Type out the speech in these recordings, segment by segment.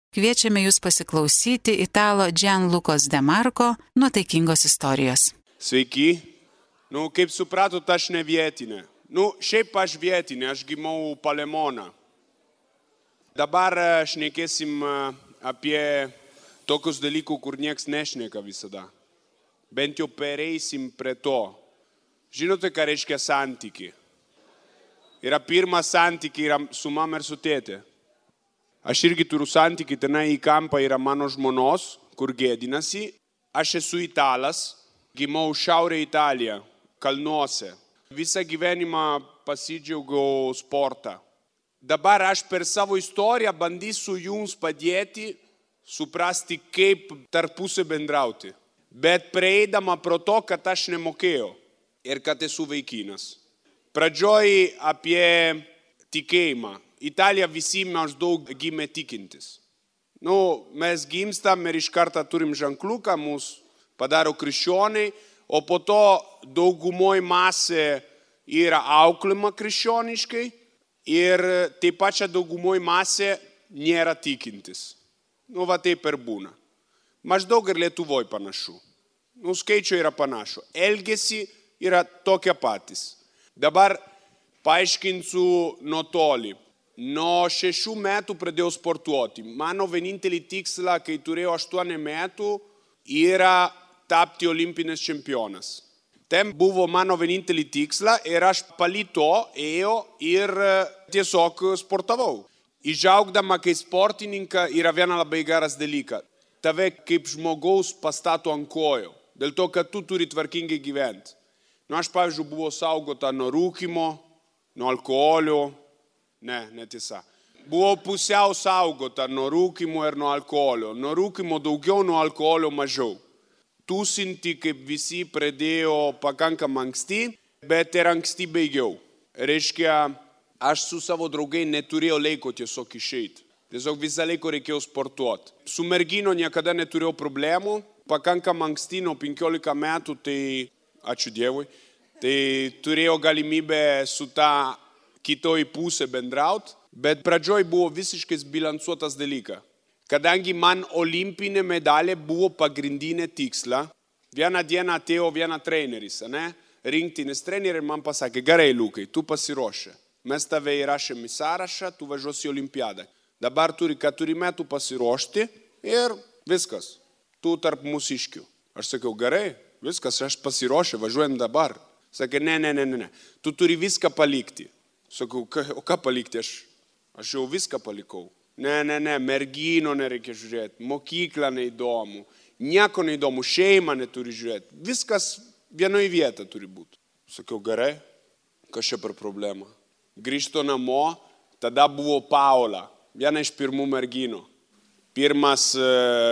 Kviečiame jūs pasiklausyti italo Gianlucos De Marco nuotaikingos istorijos. Sveiki. Kaip supratot, aš ne vietinė. Šiaip aš vietinė, aš gimau Palemoną. Dabar šnekėsim apie tokius dalykų, kur nieks nešneka visada. Bent jau pereisim prie to. Žinote, ką reiškia santykiai? Yra pirmas santykiai yra su mama ir su tėte. Aš irgi turiu santykiai, tenai į kampą yra mano žmonos, kur gėdinasi. Aš esu italas, gimau Šiaurė Italija, kalnuose. Visą gyvenimą pasidžiaugiau sportą. Dabar aš per savo istoriją bandysiu jums padėti suprasti, kaip tarpusai bendrauti. Bet prieidama pro to, kad aš nemokėjau ir kad esu vaikinas. Pradžioj apie tikėjimą. Italija visi maždaug gimė tikintis. Mes gimstam ir iš karto turim ženkliuką, mus padaro krikščioniai, o po to daugumoj masė yra auklima krikščioniškai ir taip pačia daugumoj masė nėra tikintis. Taip ir būna. Maždaug ir Lietuvoje panašu. Skaičiai yra panašu. Elgesi yra tokie patys. Dabar paaiškinsiu nuo toli. Nuo 6 metų pradėjau sportuoti. Mano vienintelį tikslą, kai turėjau 8 metų, yra tapti olimpinis čempionas. Ten buvo mano vienintelį tikslą ir aš palito ėjau ir tiesiog sportavau. Išaugdama kaip sportininką yra viena labai geras dalykas. Tave kaip žmogaus pastato ant kojų. Dėl to, kad tu turi tvarkingai gyventi. Aš, pavyzdžiui, buvau saugota nuo rūkymo, nuo alkoholio. Netiesa. Buvau pusiau saugota nuo rūkymo ir nuo alkoholio. Nuo rūkymo daugiau, nuo alkoholio mažiau. Tūsinti, kaip visi, pradėjo pakankamai anksti, bet ir anksti baigiau. Reiškia, aš su savo draugai neturėjau laiko tiesiog išeiti. Tiesiog visą laiką reikėjo sportuoti. Su mergino niekada neturėjau problemų. Pakankamai anksti, nuo 15 metų, tai, ačiū Dievui, tai turėjau galimybę su tą kitoj pusė bendrauti, bet pradžioj buvo visiškai bilansuotas dalykas. Kadangi man olimpinė medalė buvo pagrindinė tiksla, vieną dieną atėjo vienas treneris, rinktinis treneris man pasakė, gerai, Liukai, tu pasiruošę. Mes tave įrašėm į sąrašą, tu važiuosi į olimpiadą. Dabar turi 4 metų pasiruošti ir viskas. Tu tarp mūsiškių. Aš sakiau, gerai, viskas, aš pasiruošę, važiuojam dabar. Sakė, ne. Tu turi viską palikti. Sakau, o ką palikti? Aš jau viską palikau. Ne, mergino nereikia žiūrėti, mokykla neįdomu, nieko neįdomu, šeima neturi žiūrėti. Viskas vienoje vietoje turi būti. Sakiau, gerai, kas čia per problemą? Grįžtu namo, tada buvo Paula, viena iš pirmų merginų. Pirmas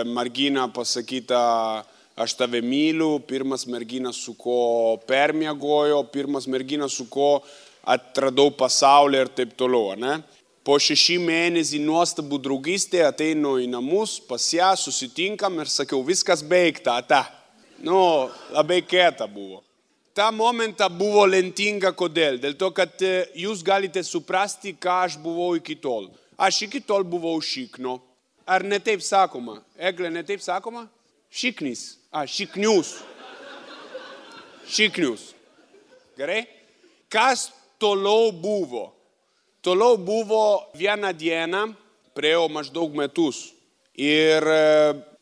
mergina pasakyta, aš tave myliu, pirmas mergina su ko permiegojo, pirmas mergina su ko atradau pasaulį ir taip toliau. Po 6 mėnesį nuostabų draugystė ateinu į namus, pas ją susitinkam ir sakiau, viskas baigta, labai kieta buvo. Ta momentą buvo lentinga, kodėl? Dėl to, kad jūs galite suprasti, ką aš buvau iki tol. Aš iki tol buvau šikno. Ar ne taip sakoma? Egle, ne taip sakoma? Šiknis. Šiknius. Šiknius. Gerai? Kas toliau buvo? Toliau buvo vieną dieną, praėjo maždaug metus. Ir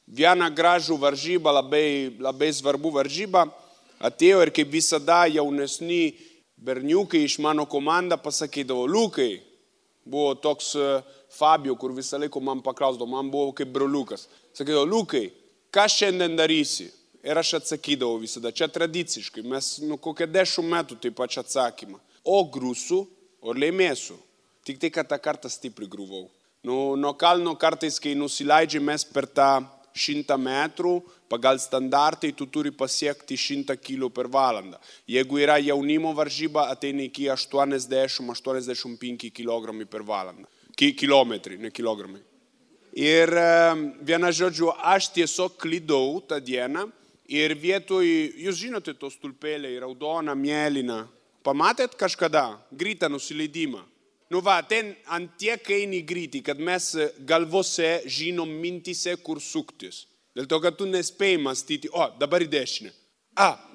vieną gražų varžybą, labai svarbu varžybą, atėjo ir kaip visada jaunesni berniukai iš mano komandą pasakydavo, Liukai, buvo toks Fabio, kur visą laiką man paklausdavo, man buvo kaip broliukas. Sakydavo, Liukai, ką šiandien darysi? Ir aš atsakydavau visada, čia tradiciškai, mes kokią 10 metų taip pat atsakymą. O grūsiu, o laimėsiu. Tik tai, kad tą kartą stipriai grūvau. Nuo kalno kartais, kai nusileidžiamės per tą 100 metrų, pagal standartai tu turi pasiekti 100 kg per valandą. Jeigu yra jaunimo varžyba, ateina iki 80-85 kg per valandą. Kilometrai, ne kilogramai. Ir viena žodžiu, aš tiesiog klydau tą dieną ir vietoj, jūs žinote tos tulpeliai, raudona, mėlyna. Pamatėt kažkada greitą nusileidimą? Nu va, ten ant tiek eini greitį, kad mes galvose žinom mintise, kur suktis. Dėl to, kad tu nespėjai mąstyti, dabar į dešinę,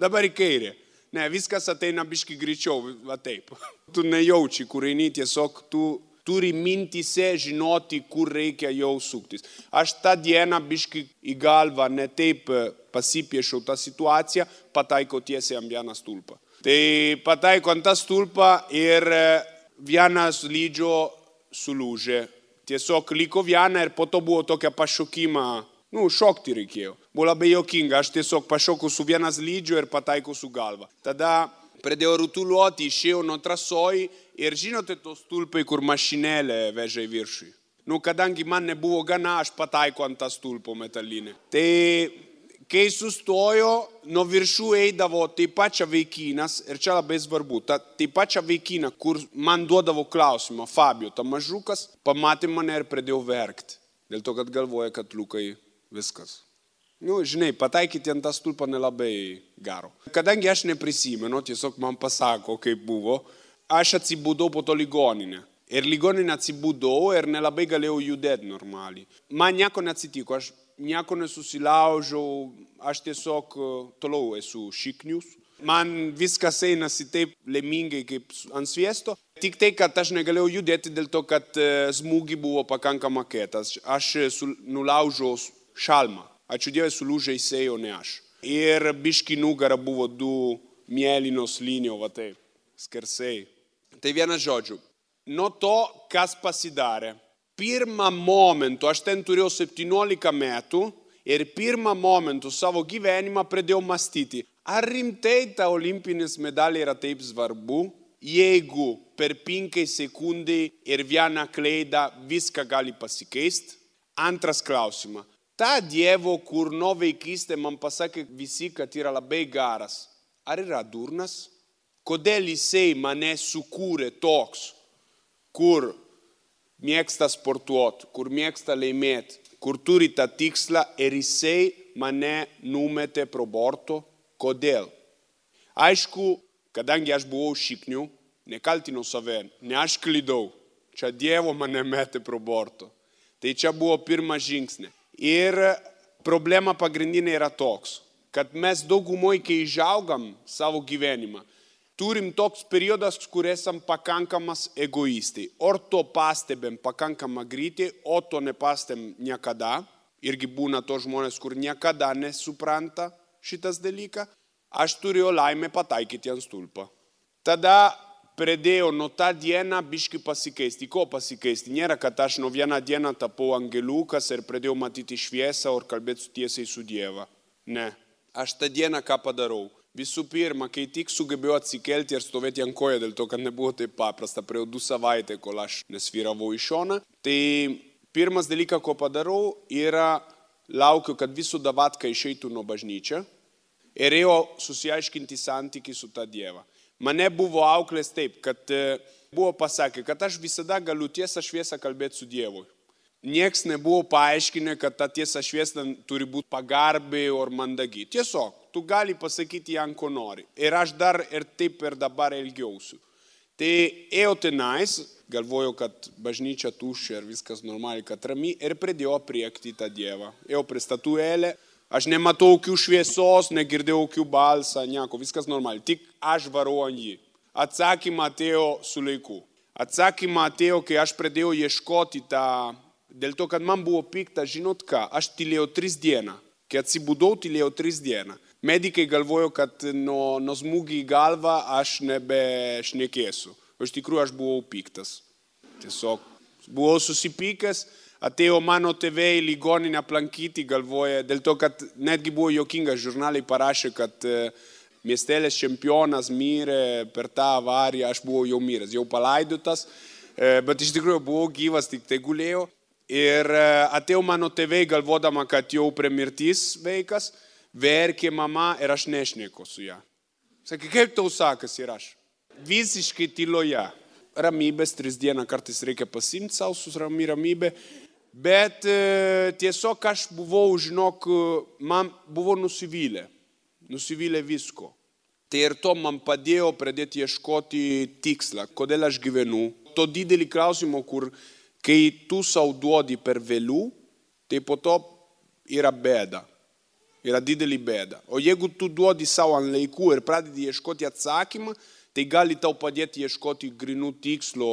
dabar į kairę. Ne, viskas ateina biški greičiau, va taip. Tu nejauči, kur eini, tiesiog tu turi mintise žinoti, kur reikia jau suktis. Aš tą dieną biški į galvą ne taip pasipiešiau tą situaciją, pataikau tiesiai ant vieną stulpą. Tai pataikau ant tą stulpą ir vienas lydžio sulūžė. Tiesiog liko viena ir po to buvo tokia pašokimą, šokti reikėjo. Buvo labai juokinga, aš tiesiog pašokau su vienas lydžio ir pataikau su galva. Tada pradėjau rutuliuoti, išėjau nuo trasoj ir žinote tos stulpai, kur mašinėlė veža į viršų. Kadangi man nebuvo gana, aš pataikau ant tą stulpo metalinę. Tai kai sustojo, nuo viršų eidavo taip pačia vaikinas, ir čia labai svarbu, taip pačia vaikina, kur man duodavo klausimą, Fabio, ta mažukas, pamatė mane ir pradėjau verkti. Dėl to, kad galvoja, kad Lukai viskas. Žinai, pataikyti ant tą stulpą nelabai gero. Kadangi aš neprisimenu, tiesiog man pasako, kaip buvo, aš atsibudau po to ligoninę. Ir ligoninę atsibudau ir nelabai galėjau judėti normaliai. Man nieko neatsitiko, aš nieko nesusilaužiau, aš tiesiog toliau esu šiknius. Man viskas einasi taip laimingai kaip ant sviesto. Tik tai, kad aš negalėjau judėti dėl to, kad smūgi buvo pakankama kietas. Aš nulaužiau šalmą. Ačiū Dievui, sulūžė jisai, o ne aš. Ir biški nugara buvo 2 mėlynos linijos, va taip, skersai. Tai vienas žodžiu. Nuo to, kas pasidarė. Pirmą momentu, aš ten turėjau 17 metų ir pirmą momentu savo gyvenimą pradėjau mąstyti, ar rimtai ta olimpinis medalė yra taip svarbu, jeigu per 5 sekundai ir vieną klaidą viską gali pasikeisti. Antras klausimas. Ta Dievo, kur nuo vaikystė man pasakė visi, kad yra labai geras, ar yra durnas? Kodėl jisai mane sukūrė toks, kur mėgsta sportuoti, kur mėgsta laimėti, kur turi tą tikslą ir jisai mane numetė pro borto? Kodėl? Aišku, kadangi aš buvau šiknių, nekaltinau save, ne aš klydau, čia Dievo mane metė pro borto. Tai čia buvo pirmas žingsnis. Ir problema pagrindinė yra toks, kad mes daugumoj, kai išaugam savo gyvenimą, turim toks periodas, kur esam pakankamas egoistai. Or to pastebėm pakankamą greitai, o to nepastebėm niekada. Irgi būna to žmonės, kur niekada nesupranta šitas dalyką. Aš turėjau laimę pataikyti ant stulpą. Tada pradėjau nuo tą dieną biški pasikeisti. Ko pasikeisti? Nėra, kad aš nuo vieną dieną tapau angeliukas ir pradėjau matyti šviesą ir kalbėti tiesiai su Dievu. Ne. Aš tą dieną ką padarau? Visų pirma, kai tik sugebėjau atsikelti ir stovėti ant koją, dėl to, kad nebuvo taip paprasta, praėjo 2 savaitės, kol aš nesvyravau į šoną. Tai pirmas dalykas, ko padarau, yra laukiu, kad visų davatka išeitų nuo bažnyčio ir ėjau susiaiškinti santykį su tą Dievą. Mane buvo auklės taip, kad buvo pasakę, kad aš visada galiu tiesą šviesą kalbėti su Dievu. Niekas nebuvo paaiškinę, kad ta tiesa šviesa turi būti pagarbiai ar mandagi. Tiesiog, tu gali pasakyti jam, ko nori. Ir aš dar ir taip ir dabar elgiausiu. Tai ėjau tenais, galvojau, kad bažnyčia tuščia ir viskas normaliai, kad rami, ir pradėjau apriekti tą Dievą. Ėjau prie statulėlę. Aš nematau jokių šviesos, negirdėjau jokių balsą, nieko, viskas normaliai. Tik aš varau ant jį. Atsakymą atėjo su laiku. Atsakymą atėjo, kai aš pradėjau ieškoti tą, dėl to, kad man buvo pikta, žinot ką, aš tylėjau 3 dieną. Kai atsibudau, tylėjau 3 dieną. Medikai galvojo, kad nuo smūgį į galvą aš nebešnekėsiu. O iš tikrųjų aš buvau piktas. Tiesiog buvau susipykęs. Atėjo mano tėvai į ligoninę aplankyti, galvoja, dėl to, kad netgi buvo juokinga, žurnalai parašė, kad miestelės čempionas mirė per tą avariją, aš buvau jau miręs, jau palaidotas, bet iš tikrųjų buvau gyvas, tik tai gulėjau. Ir atėjo mano tėvai galvodama, kad jau prie mirties vaikas, verkė mama ir aš nešneku su ją. Sakė, kaip tau sakas ir aš? Visiškai tyloje. Ramybės 3 dieną kartais reikia pasimti savo su ramybė. Bet tiesiog aš buvau, žinok, man buvo nusivylę visko. Tai ir to man padėjo pradėti ieškoti tikslą, kodėl aš gyvenu, to didelį klausimą, kur kai tu sau duodi per vėliau, tai po to yra bėda. Yra didelį bėda. O jeigu tu duodi savo ant laikų ir pradedi ieškoti atsakymą, tai gali tau padėti ieškoti grinų tikslo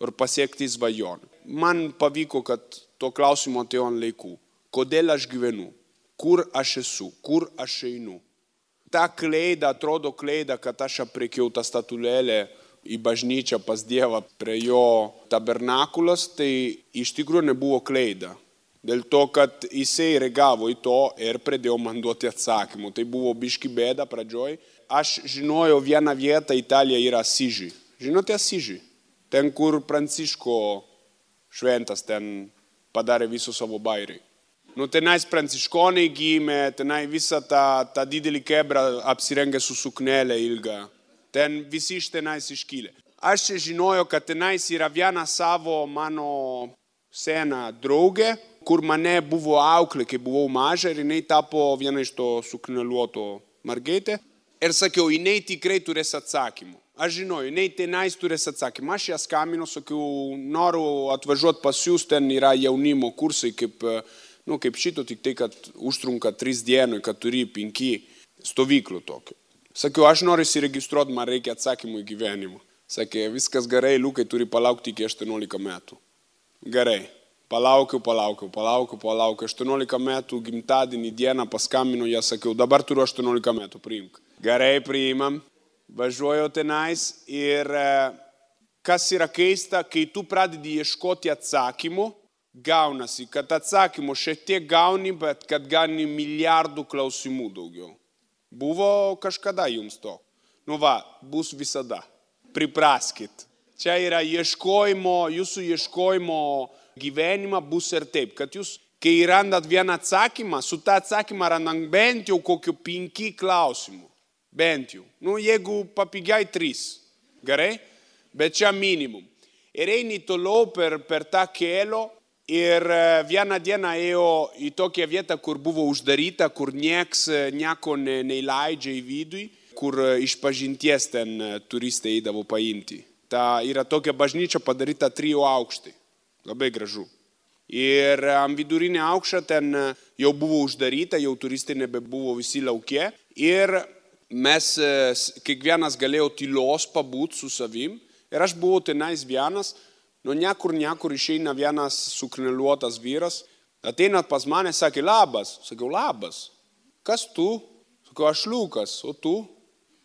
ir pasiekti svajonę. Man pavyko, kad to klausimo atėjo ant laikų. Kodėl aš gyvenu? Kur aš esu? Kur aš einu? Ta kleida, atrodo kleida, kad aš aprekiau tą statulėlę į bažnyčią pas Dievą prie jo tabernakulas, tai iš tikrųjų nebuvo kleida. Dėl to, kad jisai reagavo į to ir pradėjo man duoti atsakymų. Tai buvo biški bėda pradžioj. Aš žinojau vieną vietą, Italija yra Asiži. Žinote Asiži? Ten, kur Pranciško šventas ten padarė visų savo bairį. Tenais pranciškonai gimė, tenai visą tą didelį kebrą apsirengė su suknelė ilga. Ten visi iš tenais iškilė. Aš žinojau, kad tenais yra viena savo mano sena draugė, kur mane buvo auklė, kai buvau maža ir jinai tapo viena iš to sukneliuoto mergaitė. Ir sakiau, jinai tikrai turės atsakymų. Aš žinojau, jinai tenais turės atsakymą. Aš ją skambinu, sakiau, noriu atvažiuoti pas jūs, ten yra jaunimo kursai kaip šito, tik tai, kad užtrunka 3 dienų, kad turi 5 stovyklų tokių. Sakiau, aš noriu įsiregistruoti, man reikia atsakymų į gyvenimą. Sakė, viskas gerai, Liukai turi palaukti iki 18 metų. Gerai, palaukiau. 18 metų gimtadienį dieną paskambinu, ją sakiau, dabar turiu 18 metų, priimk. Gerai, priimam, važiuoju tenais ir kas yra keista, kai tu pradedi ieškoti atsakymų, gaunasi, kad atsakymų šiek tiek gauni, bet kad gauni milijardų klausimų daugiau. Buvo kažkada jums to? Bus visada. Pripraskit. Čia yra jūsų ieškojimo gyvenimą bus ir taip, kad jūs, kai randat vieną atsakymą, su tą atsakymą randant bent jau kokiu 5 klausimų. Bent jau. Jeigu papigiai 3. Gerai? Bet čia minimum. Ir eini toliau per tą kelio. Ir vieną dieną ėjo į tokią vietą, kur buvo uždaryta, kur nieko neįleidžia į vidų, kur išpažinties ten turistai eidavo paimti. Ta yra tokia bažnyčia padaryta 3 aukštai. Labai gražu. Ir ant vidurinė aukšta ten jau buvo uždaryta, jau turistai nebebuvo visi lauke. Ir mes kiekvienas galėjo tylos pabūt su savim. Ir aš buvau tenais vienas. Niekur išeina vienas sukneliuotas vyras, ateina pas mane, sakė, labas. Sakiau, labas. Kas tu? Sakiau, aš Liukas, o tu?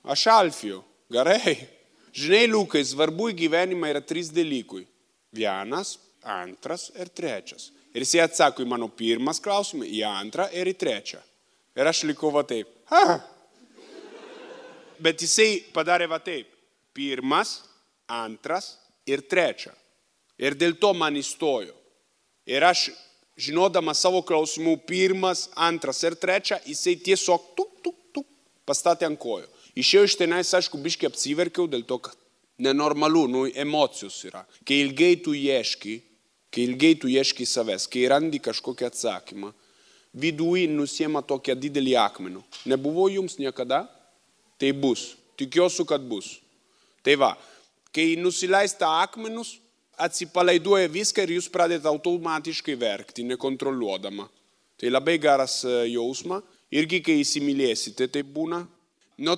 Aš Alfijau. Gerai. Žinai, Liukai, svarbu į gyvenimą yra 3 dalykui. 1, 2 ir 3. Ir jis atsako į mano 1 klausimą, į 2 ir į 3. Ir aš likau va taip. Bet jisai padarė va taip. 1, 2 ir 3. Ir dėl to man įstojo. Ir aš, žinodamas savo klausimų 1, 2 ir 3, jisai tiesiog pastatė ant kojų. Išėjau iš tenais, aišku, biškai apsiverkiau, dėl to, kad nenormalu, emocijos yra. Kai ilgai tu ieški savęs, kai randi kažkokią atsakymą, viduje nusiema tokią didelį akmenų. Nebuvo jums niekada? Tai bus. Tikiuosi, kad bus. Tai va, kai nusileista akmenus, atsipalaiduoja viską ir jūs pradėte automatiškai verkti, nekontroliuodama. Tai labai geras jausma. Irgi, kai įsimylėsite, tai būna.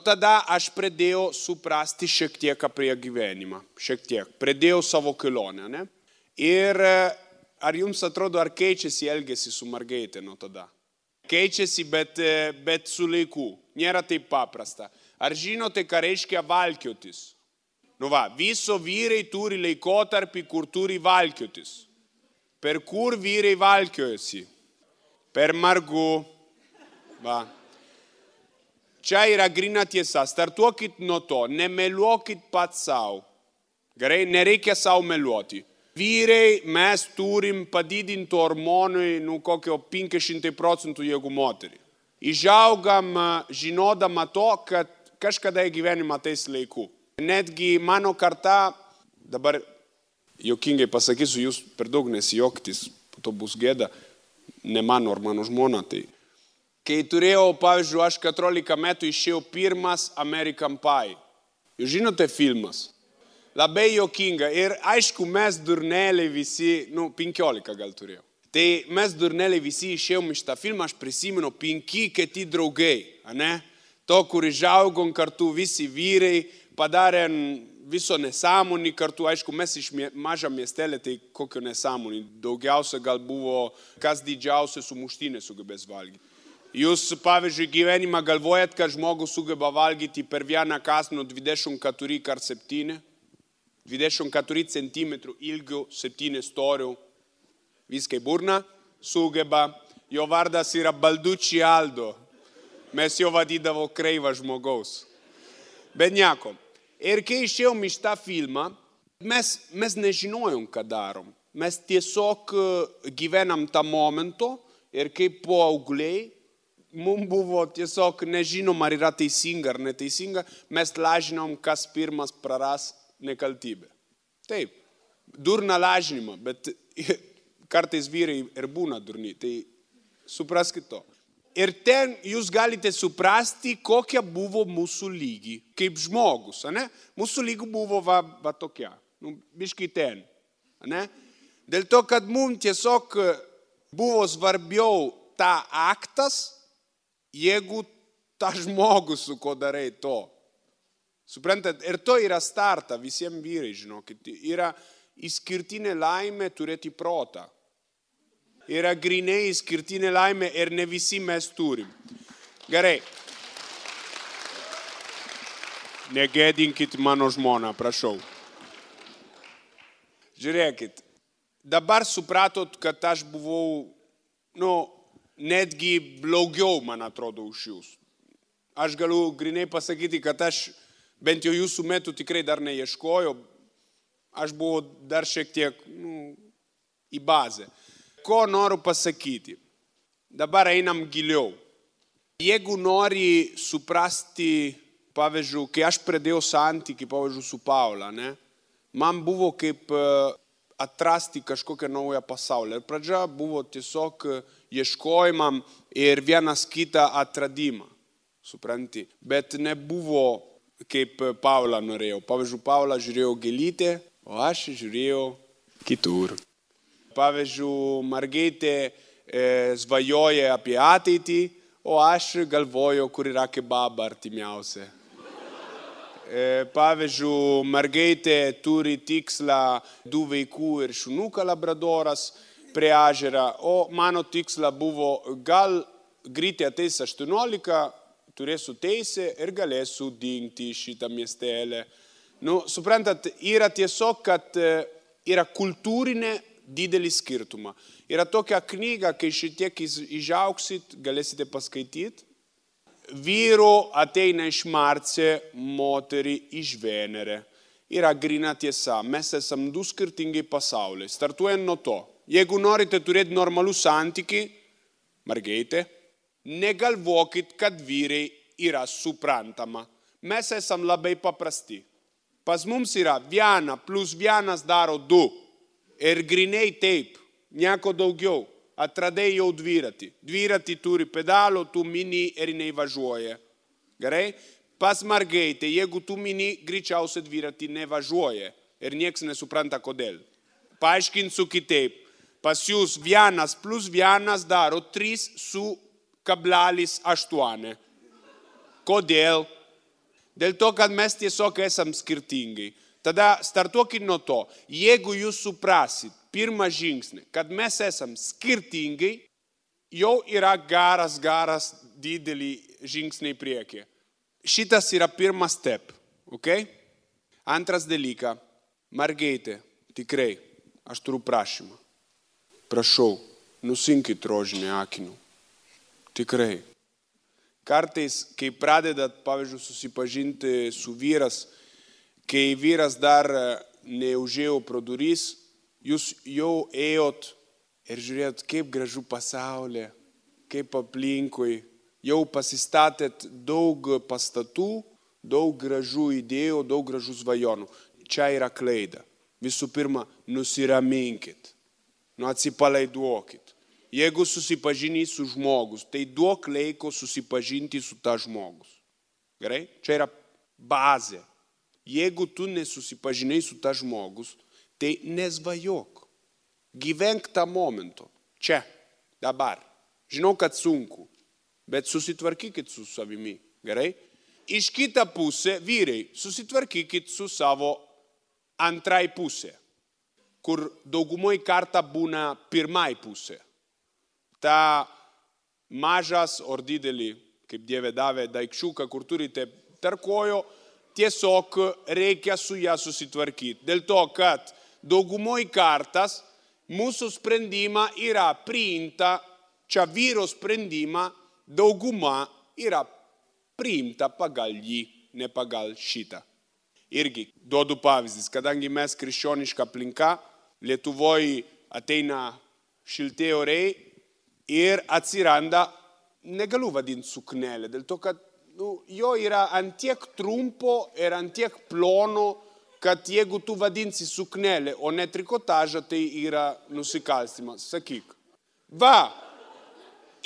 Tada aš pradėjau suprasti šiek tiek apie gyvenimą. Šiek tiek. Pradėjau savo kelionę, ne? Ir ar jums atrodo, ar keičiasi elgesį su mergaitė nuo tada? Keičiasi, bet su laiku. Nėra taip paprasta. Ar žinote, ką reiškia valkiotis? Viso vyrai turi laikotarpį, kur turi valkiotis. Per kur vyrai valkiojasi? Per margu. Čia yra grina tiesa. Startuokit nuo to. Nemeluokit pats savo. Gerai, nereikia savo meluoti. Vyrai mes turim padidinti hormonui kokio 500% jeigu moterį. Išaugam žinodama to, kad kažkada į gyvenimą ateis laiku. Netgi mano karta, dabar jokingai pasakysiu, jūs per daug nesijoktis, po to bus gėda, ne mano ar mano žmona. Tai. Kai turėjau, pavyzdžiui, aš 14 metų išėjau 1 American Pie. Jūs žinote filmas? Labai juokinga. Ir aišku, mes durneliai visi, 15 gal turėjau. Tai mes durneliai visi išėjom iš tą filmą, aš prisimenu 5 kiti draugai, ne? To, kur išaugom kartu visi vyrai, padarėm viso nesąmonį kartu, aišku, mes iš mažą miestelį, tai kokio nesąmonį. Daugiausia gal buvo, kas didžiausia sumuštinė sugebės valgyti. Jūs, pavyzdžiui, gyvenimą galvojat, kad žmogus sugeba valgyti per vieną kąsnį 24x7, 24 cm ilgių, 7 storių, viskai burna sugeba. Jo vardas yra Balducci Aldo. Mes jo vadydavo kreivą žmogaus. Bet nieko. Ir kai išėjom iš tą filmą, mes nežinojom, ką darom. Mes tiesiog gyvenam tą momento ir kaip paaugliai, mums buvo tiesiog nežinom, ar yra teisinga ar neteisinga, mes lažinom, kas pirmas praras nekaltybę. Taip, durna lažinimą, bet kartais vyrai ir būna durni, tai supraskit to. Ir ten jūs galite suprasti, kokia buvo mūsų lygi, kaip žmogus, ne? Mūsų lygi buvo va tokia, biškai ten, ne? Dėl to, kad mums tiesiog buvo svarbiau ta aktas, jeigu ta žmogus, su ko darai to. Suprantat, ir to yra starta visiems vyrai, žinokit, yra išskirtinė laimė turėti protą. Yra grinai išskirtinė laimė ir ne visi mes turim. Gerai. Negėdinkit mano žmoną, prašau. Žiūrėkit, dabar supratot, kad aš buvau, netgi blogiau, man atrodo, už jūs. Aš galiu grinai pasakyti, kad aš bent jau jūsų metų tikrai dar neieškojau. Aš buvau dar šiek tiek į bazę. Ko noriu pasakyti? Dabar einam giliau. Jeigu nori suprasti, pavyzdžiui, kai aš pradėjau santykį, pavyzdžiui, su Paula, ne? Man buvo kaip atrasti kažkokią naują pasaulį. Ir pradžia buvo tiesiog ieškojimam ir vienas kitą atradimą. Supranti? Bet nebuvo kaip Paula norėjau. Pavyzdžiui, Paula žiūrėjo gėlytę, o aš žiūrėjau kitur. Pavyzdžiui, mergaitė svajoja apie ateitį, o aš galvoju, kur yra kebaba artimiausia. Pavyzdžiui, mergaitė turi tikslą 2 vaikų ir šunuką labradoras prie ežero, o mano tiksla buvo, gal greitai ateis 18, turėsiu teisę ir galėsiu dingti šitą miestelę. Suprantat, yra tiesiog, kad yra kultūrinė didelį skirtumą. Yra tokia knyga, kai šitiek išauksit, galėsite paskaityti. Vyro ateina iš Marse, moterį iš Venere. Yra grina tiesa. Mes esam 2 skirtingi pasauliai. Startuojant nuo to. Jeigu norite turėti normalų santykį, mergaitė, negalvokit, kad vyrai yra suprantama. Mes esam labai paprasti. Pas mums yra 1 + 1 daro 2. Ir grinai taip, nieko daugiau. Atradai jau dviratį. Dviratį turi pedalo, tu mini ir jinai važiuoja. Gerai? Pas mergaitę, jeigu tu mini, greičiausiai dviratį nevažiuoja. Ir nieks nesupranta kodėl. Paaiškinsiu kitaip. Pas jūs 1 + 1 daro 3,8. Kodėl? Dėl to, kad mes tiesiog esam skirtingai. Tada startuokit nuo to, jeigu jūs suprasit pirmą žingsnį, kad mes esam skirtingai, jau yra garas didelį žingsnį į priekį. Šitas yra pirmas step, ok? Antras dalykas, mergaitė, tikrai, aš turiu prašymą. Prašau, nusinkit rožinį akinių. Tikrai. Kartais, kai pradedat, pavyzdžiui, susipažinti su vyras, kai vyras dar neužėjo pro duris, jūs jau ėjot ir žiūrėjot, kaip gražu pasaulė, kaip aplinkui. Jau pasistatėt daug pastatų, daug gražių idėjų, daug gražių svajonių. Čia yra klaida. Visų pirma, nusiraminkit, atsipalaiduokit. Jeigu susipažini su žmogus, tai duok laiko susipažinti su ta žmogus. Gerai? Čia yra bazė. jeigu tu nesusipažinai su ta žmogus, tai nesvajok. Gyvenk tą momentu. Čia, dabar. Žinau, kad sunku, bet susitvarkykit su savimi. Gerai? Iš kitą pusę, vyrai, susitvarkykit su savo antrai pusė, kur daugumoj kartą būna pirmai pusė. Ta mažas ar didelį, kaip Dieve davė, daikčiuką, kur turite tarp kojų, tiesiog reikia su ją susitvarkyti. Dėl to, kad daugumoj kartas mūsų sprendimą yra priimta, čia vyro sprendimą, dauguma yra priimta pagal jį, ne pagal šitą. Irgi duodu pavyzdys, kadangi mes krikščioniška aplinka, Lietuvoje ateina šilti orai ir atsiranda, negaliu vadinti suknelė, dėl to, kad jo yra antiek trumpo ir antiek plono, kad jeigu tu vadinsi suknelė, o ne trikotažą, tai yra nusikalstimas. Sakyk. Va,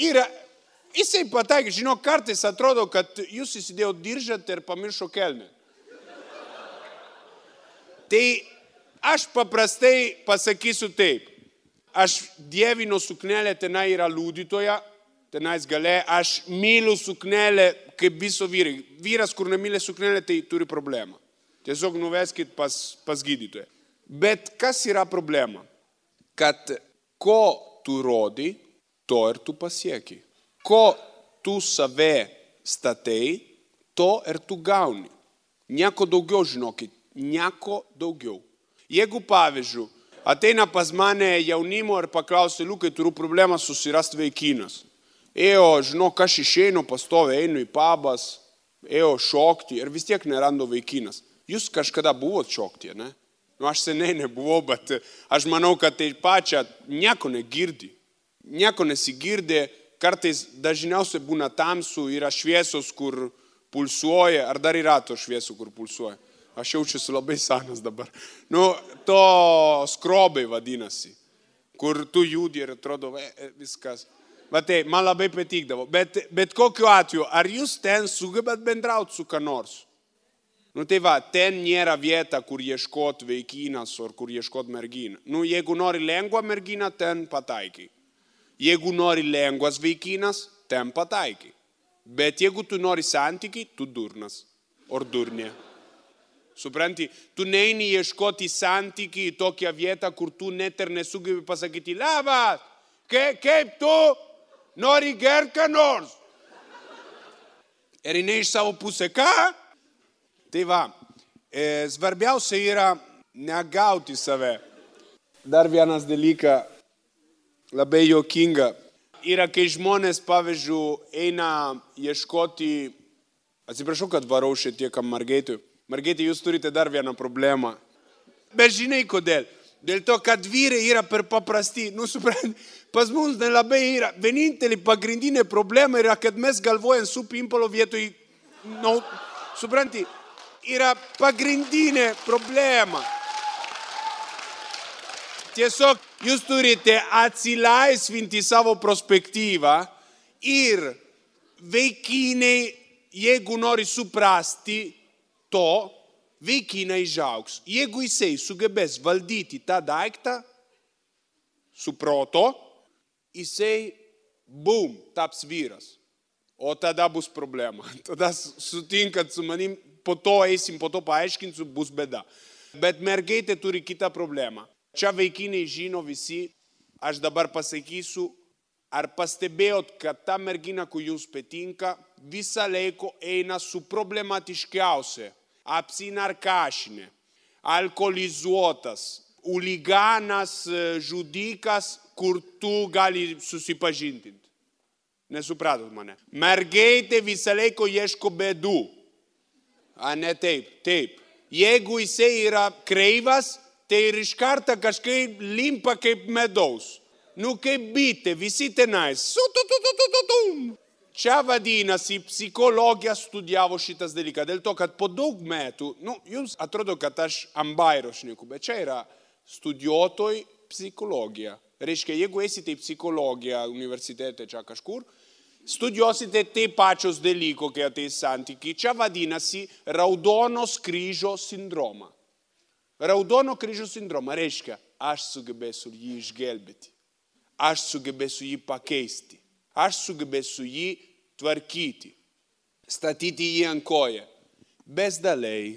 yra, jisai pataikė, žinok, kartais atrodo, kad jūs įsidėjo diržat ir pamiršo kelnę. Tai aš paprastai pasakysiu taip. Aš dievinu suknelę, tenai yra liudytoja, tenais gale, aš myliu suknelę kaip viso vyrai. Vyras, kur nemylė suknelę, tai turi problemą. Tiesiog nuveskit pas gydytoją. Bet kas yra problema? Kad ko tu rodi, to ir tu pasieki. Ko tu save statai, to ir tu gauni. Nieko daugiau, žinokit, nieko daugiau. Jeigu pavyzdžiui, ateina pas mane jaunimo ir paklausia, Liukai, turiu problemą susirasti vaikinas. Žinok, aš išeinu, pastoviai einu į pabas, šokti ir vis tiek nerandu vaikinas. Jūs kažkada buvot šokti, ne? Aš seniai nebuvau, bet aš manau, kad tai pačia nieko negirdi. Nieko nesigirdi, kartais dažniausiai būna tamsų, yra šviesos, kur pulsuoja, ar dar yra to šviesų, kur pulsuoja. Aš jaučiuosi labai senas dabar. To skrobai vadinasi, kur tu judi ir atrodo viskas. Bet tai, man labai patikdavo. Bet kokiu atveju, ar jūs ten sugebat bendrauti su ką nors? Tai va, ten nėra vieta, kur ieškot vaikinas ar kur ieškot merginą. Jeigu nori lengvą merginą, ten pataikai. Jeigu nori lengvas vaikinas, ten pataikai. Bet jeigu tu nori santykiai, tu durnas. Ar durnė. Supranti, tu neini ieškoti santykiai į tokią vietą, kur tu net ir nesugebi pasakyti, labas, kaip tu nori gerti ką nors. Ir jinai iš savo pusę, ką? Tai va, svarbiausia yra negauti save. Dar vienas dalykas, labai juokinga, yra, kai žmonės, pavyzdžiui, eina ieškoti, atsiprašau, kad varau šiek tiek Margaitui. Margaitė, jūs turite dar vieną problemą. Bet žinai kodėl? Dėl to, kad vyrai yra per paprasti. Supranti, pas mums nelabai yra. Vienintelė pagrindinė problema yra, kad mes galvojam su pimpalo vietoj. Supranti, yra pagrindinė problema. Tiesiog jūs turite atsilaisvinti savo perspektyvą ir vaikinai, jeigu nori suprasti, to vaikiną išaugs. Jeigu jisai sugebės valdyti tą daiktą su proto, jisai, bum, taps vyras. O tada bus problema. Tada sutinkat su manim, po to eisim, po to paaiškinsiu, bus bėda. Bet mergaitė turi kitą problemą. Čia vaikinai žino visi, aš dabar pasakysiu, ar pastebėjot, kad ta mergina, kur jums patinka, visą laiką eina su problematiškiausia. Apsinarkašinė, alkoholizuotas, uliganas, žudikas, kur tu gali susipažinti. Nesupratot mane. Mergaitė visą laiką ieško bėdų. Ne taip, taip. Jeigu jisai yra kreivas, tai ir iš karto kažkaip limpa kaip medaus. Kaip bitė, visi tenais. Čia vadinasi, psichologija studijavo šitas dalykas, dėl to, kad po daug metų, jums atrodo, kad aš ant bairo šneku, bet čia yra studijuotoj psichologija. Reiškia, jeigu esite psichologija universitete čia kažkur, studiosite taip pačios dalyko, kai ateis santykiai. Čia vadinasi raudonos kryžo sindroma. Raudono kryžo sindroma reiškia, aš sugebėsiu jį išgelbėti. Aš sugebėsiu jį pakeisti. Aš sugebėsiu jį tvarkyti. Statyti jį ant koją. Bezdaliai.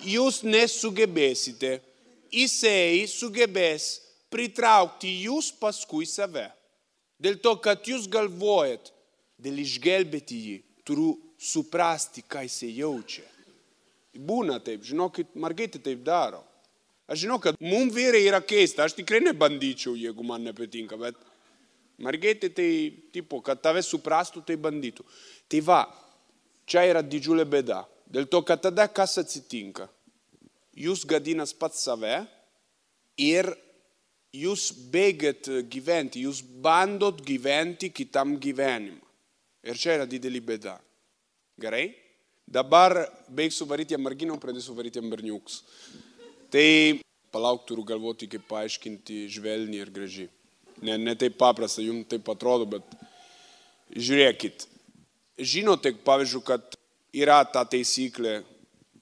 Jūs nesugebėsite. Jisai sugebės pritraukti jūs paskui save. Dėl to, kad jūs galvojat, dėl išgelbėti jį, turiu suprasti, ką jisai jaučia. Būna taip, žinokit, mergaitė taip daro. Aš žinau, kad mums vyrai yra keista, aš tikrai nebandyčiau, jeigu man nepatinka, bet mergaitė tai, tipo, kad tave suprastų, tai bandytų. Tai va, čia yra didžiulė bėda. Dėl to, kad tada kas atsitinka? Jūs gadinas pats save ir jūs bėgat gyventi, jūs bandot gyventi kitam gyvenimą. Ir čia yra didelė bėda. Gerai? Dabar baigsiu varyti jam merginą, pradėsiu varyti jam berniukus. Tai palauk, turiu galvoti, kaip paaiškinti žvelniai ir gražiai. Ne taip paprasta, jums taip atrodo, bet žiūrėkit. Žinote, pavyzdžiui, kad yra ta taisyklė,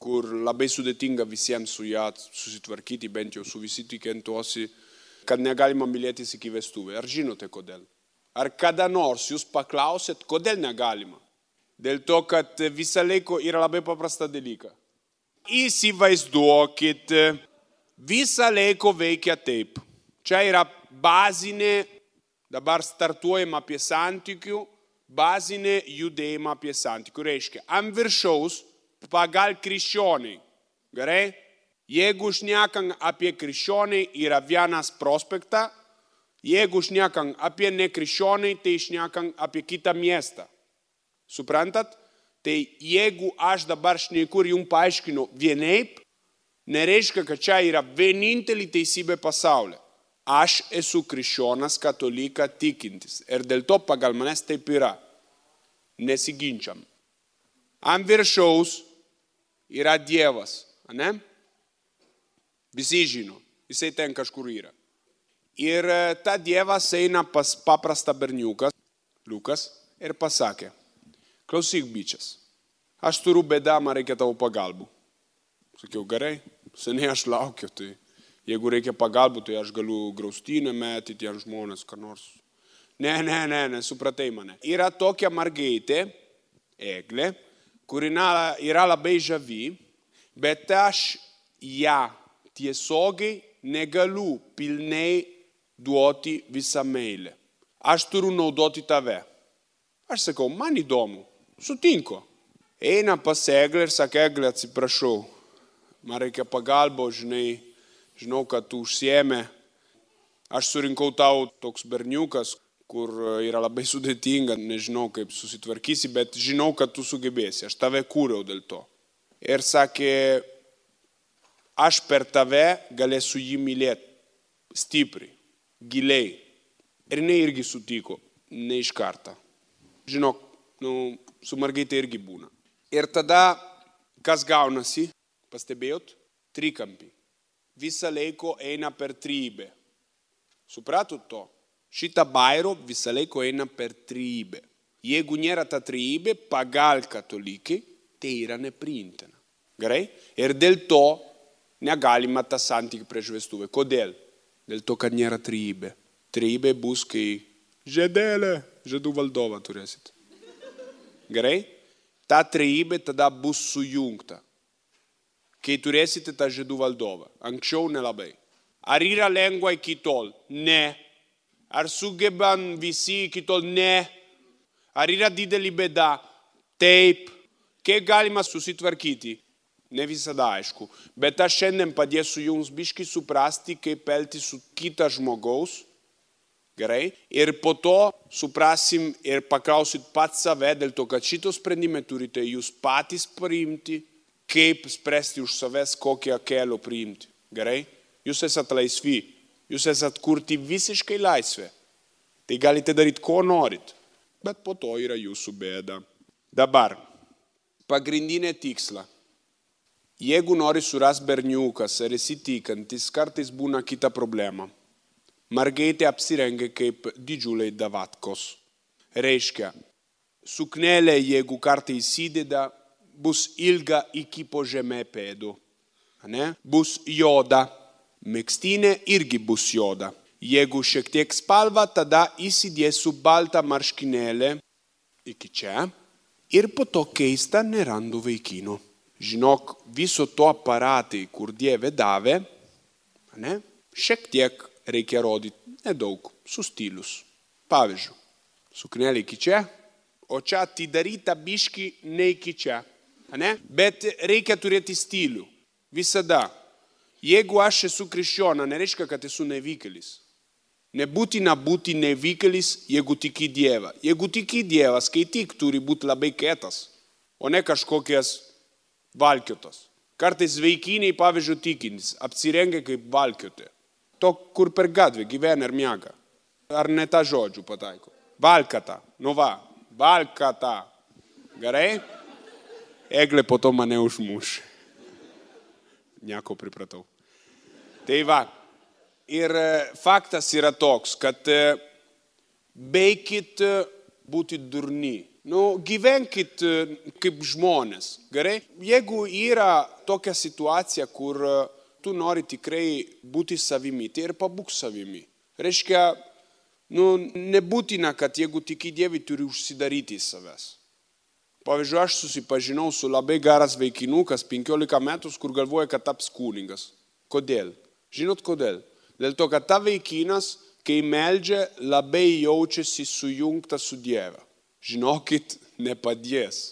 kur labai sudėtinga visiems su ją susitvarkyti, bent jau su visi tikintuosi, kad negalima mylėtis iki vestuvių. Ar žinote kodėl? Ar kada nors jūs paklausėt, kodėl negalima? Dėl to, kad visą laiką yra labai paprasta dalyka. Įsivaizduokit, visą laiką veikia taip. Čia yra bazinė, dabar startuojama apie santykių, bazinė judėjimą apie santykių. Reiškia, ant viršaus pagal krikščioniai. Gerai? Jeigu šnekam apie krikščioniai, yra vienas prospektą. Jeigu šnekam apie nekrikščioniai, tai šnekam apie kitą miestą. Suprantat? Tai jeigu aš dabar šneku ir jums paaiškinu vienaip, nereiškia, kad čia yra vienintelė teisybė pasaulyje. Aš esu krikščionas, katolika, tikintis. Ir dėl to pagal manęs taip yra. Nesiginčiam. Ant viršaus yra Dievas. Ne? Visi žino. Jisai ten kažkur yra. Ir ta Dievas eina pas paprastą berniuką, Liukas, ir pasakė, klausyk, bičias, aš turiu bėdą, man reikia tavo pagalbų. Sakiau, gerai, seniai aš laukiu, tai jeigu reikia pagalbų, tai aš galiu graustinę metyti ant žmonės, ką nors. Ne, supratai mane. Yra tokia mergaitė, Eglė, kuri yra labai žavi, bet aš ją tiesiogiai negaliu pilnai duoti visą meilę. Aš turiu naudoti tave. Aš sakau, man įdomu, sutinku. Eina pas Eglę ir sako, Eglė, atsiprašau, man reikia pagalbo, žinau, kad tu užsiėmė. Aš surinkau tau toks berniukas, kur yra labai sudėtinga, nežinau, kaip susitvarkysi, bet žinau, kad tu sugebėsi. Aš tave kūriau dėl to. Ir sakė, aš per tave galėsiu jį mylėti stipriai, giliai. Ir jinai irgi sutiko, ne iš karto. Žinok, su mergaitė irgi būna. Ir tada, kas gaunasi, pastebėjot? Trikampį. Visą laiką eina per trybę. Supratot to? Šitą bairro visą laiką eina per trybę. Jeigu nėra ta trybė, pagal katalikai, tai yra nepriimtina. Gerai? Ir dėl to negalima tą santykį prieš vestuvę. Kodėl? Dėl to, kad nėra trybė. Trybė bus, kai žiedų valdovą turėsit. Gerai? Ta trybė tada bus sujungta. Kai turėsite tą žiedų valdovą. Anksčiau nelabai. Ar yra lengva iki tol? Ne. Ar sugebam visi iki tol? Ne. Ar yra didelė bėda? Taip. Kaip galima susitvarkyti? Ne visada aišku. Bet aš šiandien padėsiu jums biškį suprasti, kaip elgtis su kita žmogaus. Gerai? Ir po to suprasim ir paklausit pats save, dėl to, kad šito sprendimą turite jūs patys priimti, kaip spręsti už savęs, kokią kelią priimti. Gerai? Jūs esat laisvi. Jūs esat kurti visiškai laisvę. Tai galite daryti, ko norit. Bet po to yra jūsų bėda. Dabar, pagrindinė tiksla. Jeigu nori surasti berniukas ar esi tikintis, kartais būna kita problema. Mergaitė apsirengia kaip didžiuliai davatkos. Reiškia, suknelė, jeigu kartą įsideda, bus ilga iki po žemė pėdų. Ne? Bus juoda. Megztinė irgi bus juoda. Jeigu šiek tiek spalva, tada įsidėsiu baltą marškinėlę iki čia ir po to keista nerandu vaikino. Žinok, viso to aparatai, kur Dieve davė, ne? Šiek tiek reikia rodyti, nedaug, su stilius. Pavyzdžiui, suknelė iki čia, o čia atidaryta biški ne iki čia. Ne? Bet reikia turėti stilių. Visada. Jeigu aš esu krikščiona, nereiškia, kad esu nevykėlis. Nebūtina būti nevykėlis, jeigu tiki Dievą. Jeigu tiki Dievą, skaityk, turi būti labai kietas, o ne kažkokias valkiotas. Kartais vaikiniai, pavyzdžiui, tikintis, apsirengia kaip valkiotė. To, kur per gatvę gyvena ir miega. Ar ne tą žodžių pataiko? Valkata. Nu va, valkata. Gerai? Eglė po to mane užmuš. Nieko pripratau. Tai va. Ir faktas yra toks, kad beikit būti durni. Gyvenkit kaip žmonės. Gerai? Jeigu yra tokia situacija, kur tu nori tikrai būti savimi, tai ir pabūk savimi. Reiškia, nebūtina, kad jeigu tiki Dievui, turi užsidaryti į savęs. Pavyzdžiui, aš susipažinau su labai geras vaikinukas, 15 metų, kur galvoja, kad taps kunigas. Kodėl? Žinot kodėl? Dėl to, kad ta vaikinas, kai meldžia, labai jaučiasi sujungtas su Dieve. Žinokit, nepadės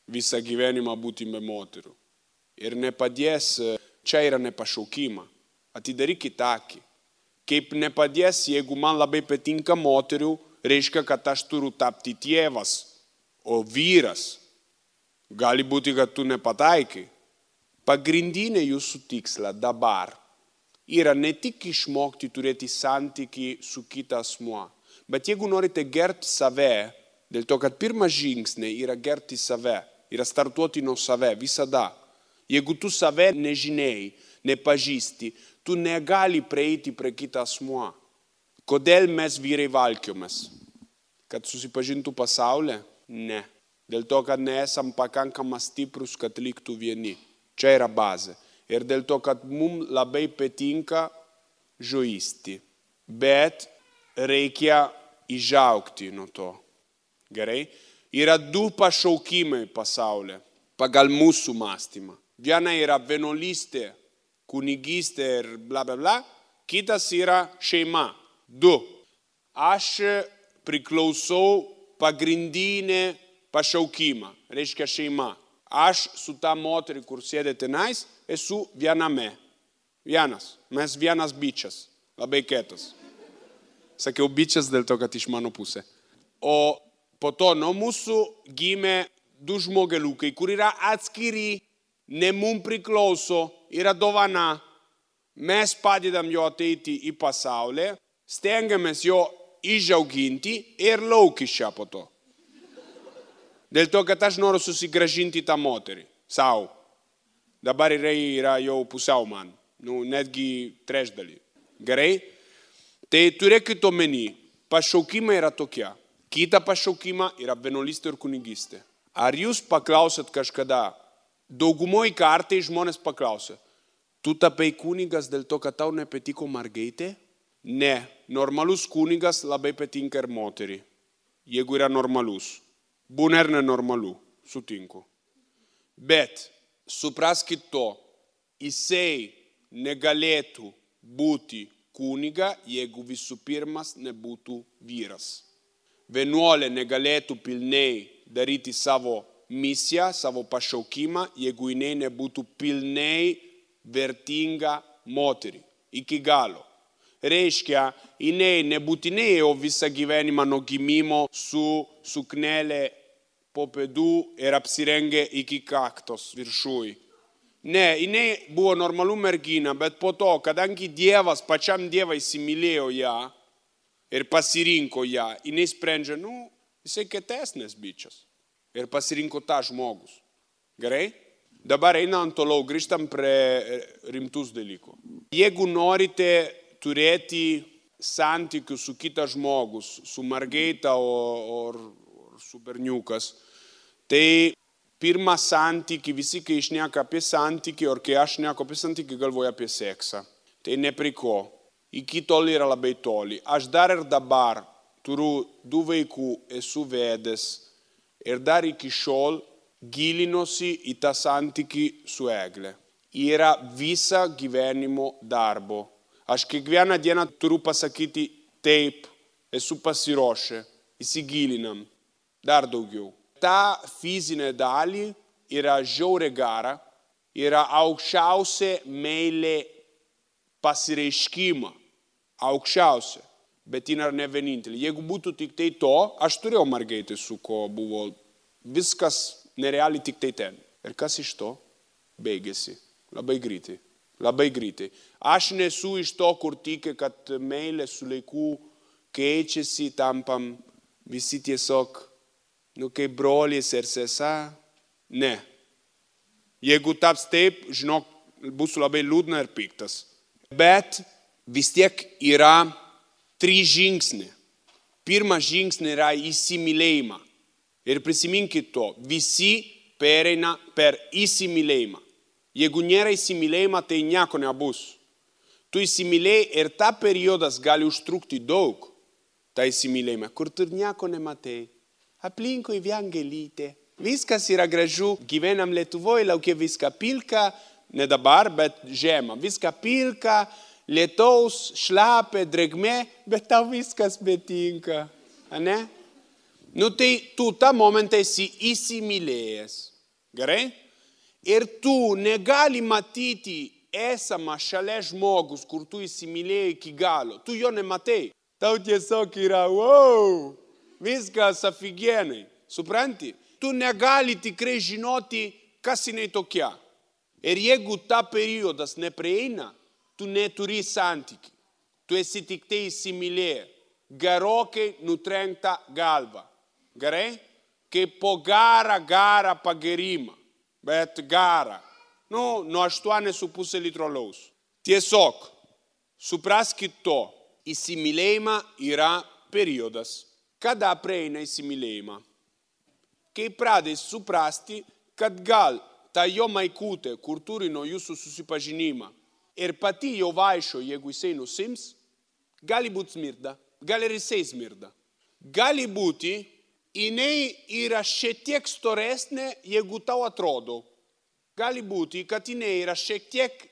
visą gyvenimą būti be moterų. Ir nepadės, čia yra nepašaukima. Atidarykit akį. Kaip nepadės, jeigu man labai patinka moterių, reiškia, kad aš turiu tapti tėvas, o vyras. Gali būti, kad tu nepataikai. Pagrindinė jūsų tiksla dabar yra ne tik išmokti turėti santykį su kita asmuo, bet jeigu norite gerti save, dėl to, kad pirmas žingsniai yra gerti save, yra startuoti nuo save visada. Jeigu tu save nežinai, nepažįsti, tu negali prieiti prie kitą asmuo. Kodėl mes vyrai valkiomės? Kad susipažintų pasaulį? Ne. Dėl to, kad nesam pakankamai stiprus, kad liktų vieni. Čia yra bazė. Ir dėl to, kad mums labai patinka žaisti. Bet reikia išaugti nuo to. Gerai? Yra du pašaukimai pasaulyje pagal mūsų mąstymą. Viena yra vienuolystė, kunigystė ir bla bla bla. Kitas yra šeima. Du. Aš priklausau pagrindinė pašaukimą. Reiškia šeima. Aš su ta moterį, kur sėdė tenais, esu viename. Vienas. Mes vienas bičias. Labai kietas. Sakiau bičias dėl to, kad iš mano pusė. O po to nuo mūsų gimė du žmogeliukai, kur yra atskiri, ne mums priklauso, yra dovana. Mes padedam jo ateiti į pasaulį, stengiamės jo išauginti ir lauk iš čia po to. Dėl to, kad aš noriu susigrąžinti tą moterį savo. Dabar yra jau pusiau man, netgi trečdalį. Gerai? Tai turėkit omeny, pašaukimai yra tokie. Kita pašaukima yra vienuolystė ir kunigystė. Ar jūs paklausėt kažkada, daugumoj kartai žmonės paklausė, tu tapai kunigas dėl to, kad tau nepatiko mergaitė? Ne, normalus kunigas labai patinka ir moterį, jeigu yra normalus. Būna ir nenormalu, sutinku. Bet supraskit to, jisai negalėtų būti kuniga, jeigu visų pirmas nebūtų vyras. Vienuolė negalėtų pilnai daryti savo misiją, savo pašaukimą, jeigu jinai nebūtų pilnai vertinga moterį, iki galo. Reiškia, jinai nebūtinai jau visą gyvenimą nuo gimimo su suknelė po pėdų ir apsirengė iki kaktos viršui. Ne, jinai buvo normalų mergina, bet po to, kadangi Dievas, pačiam Dievas įsimylėjo ją ir pasirinko ją, jinai sprendžia, jisai kietesnis bičias. Ir pasirinko tą žmogus. Gerai? Dabar einant toliau, grįžtam prie rimtus dalykų. Jeigu norite turėti santykių su kitas žmogus, su mergaita ar su berniukas, tai pirmą santykį, visi kai šneka apie santykį, ar kai aš šneku apie santykį, galvoju apie seksą. Tai ne prie ko. Iki tol yra labai toli. Aš dar ir dabar turiu 2 vaikų, esu vedęs ir dar iki šiol gilinosi į tą santykį su Egle. Yra visą gyvenimo darbo. Aš kiekvieną dieną turiu pasakyti taip, esu pasiruošę, įsigilinam, dar daugiau. Ta fizinė dalį yra žiauriai gera, yra aukščiausia meilė pasireiškimą, aukščiausia, bet ji yra ne vienintelė. Jeigu būtų tik tai to, aš turėjau mergaitę, su ko buvo viskas nerealiai tik tai ten. Ir kas iš to? Baigėsi. Labai greitai. Labai greitai. Aš nesu iš to, kur tiki, kad meilė su laiku keičiasi, tampam visi tiesiog, kaip brolis ir sesa. Ne. Jeigu taps taip, žinok, bus labai liūdna ir piktas. Bet vis tiek yra 3 žingsniai. Pirmas žingsnis yra įsimylėjimą. Ir prisiminkit to, visi pereina per įsimylėjimą. Jeigu nėra įsimylėjimą, tai nieko nebus. Tu įsimylėjai ir ta periodas gali užtrukti daug, tą įsimylėjimą, kur tu nieko nematai. Aplinkui vien gėlytė. Viskas yra gražu, gyvenam Lietuvoje, laukia viską pilka, ne dabar, bet žiemą. Viską pilka, lietaus, šlapia, drėgmė, bet tau viskas betinka. Ne? Tai tu tą momentą esi įsimylėjęs. Gerai? Ir tu negali matyti esamą šalia žmogus, kur tu įsimylėjai iki galo. Tu jo nematai. Tau tiesiog yra, wow, viskas aфиgenai. Supranti? Tu negali tikrai žinoti, kas jinai tokia. Ir jeigu ta periodas neprieina, tu neturi santykių. Tu esi tik tai įsimylėjęs. Gerokai nutrenkta galva. Gerai? Kaip po garą pagerimą. Bet garą. Nuo 8,5 litro alaus. Tiesiog, supraskit to. Įsimylėjimą yra periodas. Kada prieina įsimylėjimą? Kai pradės suprasti, kad gal ta jo maikutė, kur turi nuo jūsų susipažinimą, ir pati jau vaikščio, jeigu jisai nusims, gali būti smirda, gali ir jisai smirda. Gali būti, jinai yra šiek tiek storesnė, jeigu tau atrodo. Gali būti, kad jinai yra šiek tiek